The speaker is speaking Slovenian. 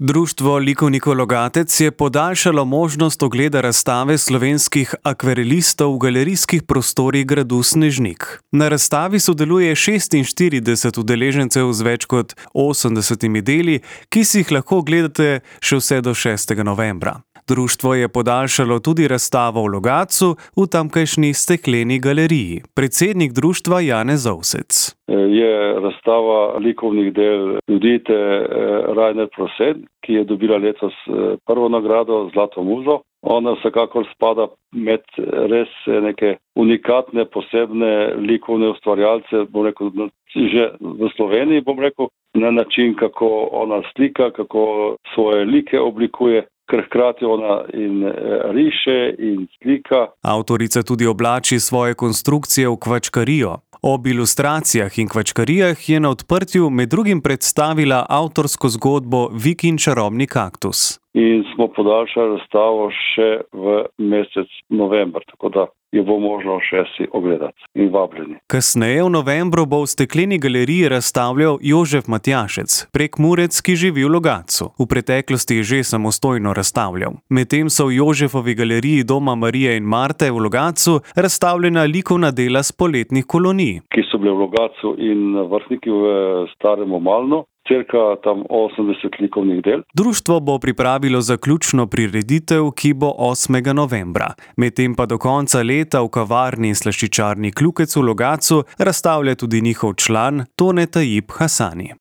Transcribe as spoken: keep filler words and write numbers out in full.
Društvo likovnikov Logatec je podaljšalo možnost ogleda razstave slovenskih akvarelistov v galerijskih prostorih gradu Snežnik. Na razstavi sodeluje šestinštirideset udeležencev z več kot osemdesetimi deli, ki si jih lahko ogledate še vse do šestega novembra. Društvo je podaljšalo tudi razstavo v Logatcu v tamkajšnji stekleni galeriji. Predsednik društva Janez Ovsec. Je razstava likovnih del Judite Rajner Prosen, ki je dobila letos prvo nagrado Zlato muzo. Ona vsekakor spada med res neke unikatne, posebne likovne ustvarjalce, bom rekel, že v Sloveniji, bom rekel, na način, kako ona slika, kako svoje like oblikuje. Ker hkrati ona in riše in slika. Avtorica tudi oblači svoje konstrukcije v kvačkarijo. Ob ilustracijah in kvačkarijah je na odprtju med drugim predstavila avtorsko zgodbo Viki in čarobni kaktus. In smo podaljšali razstavo še v mesec november, tako da jo bo možno še si ogledati in vabljeni. Kasneje v novembru bo v stekleni galeriji razstavljal Jožef Matjašec, Prekmurec, ki živi v Logatcu. V preteklosti je že samostojno razstavljal. Medtem so v Jožefovi galeriji Doma Marije in Marte v Logatcu razstavljena likovna dela s poletnih kolonij, ki so bile v Logatcu in Vrhniki v Starem Omalnu. Cirka tam osemdeset likovnih del. Društvo bo pripravilo zaključno prireditev, ki bo osmega novembra. Medtem pa do konca leta v kavarni in slaščičarni Klukec v Logatcu razstavlja tudi njihov član Tone Tajib Hasani.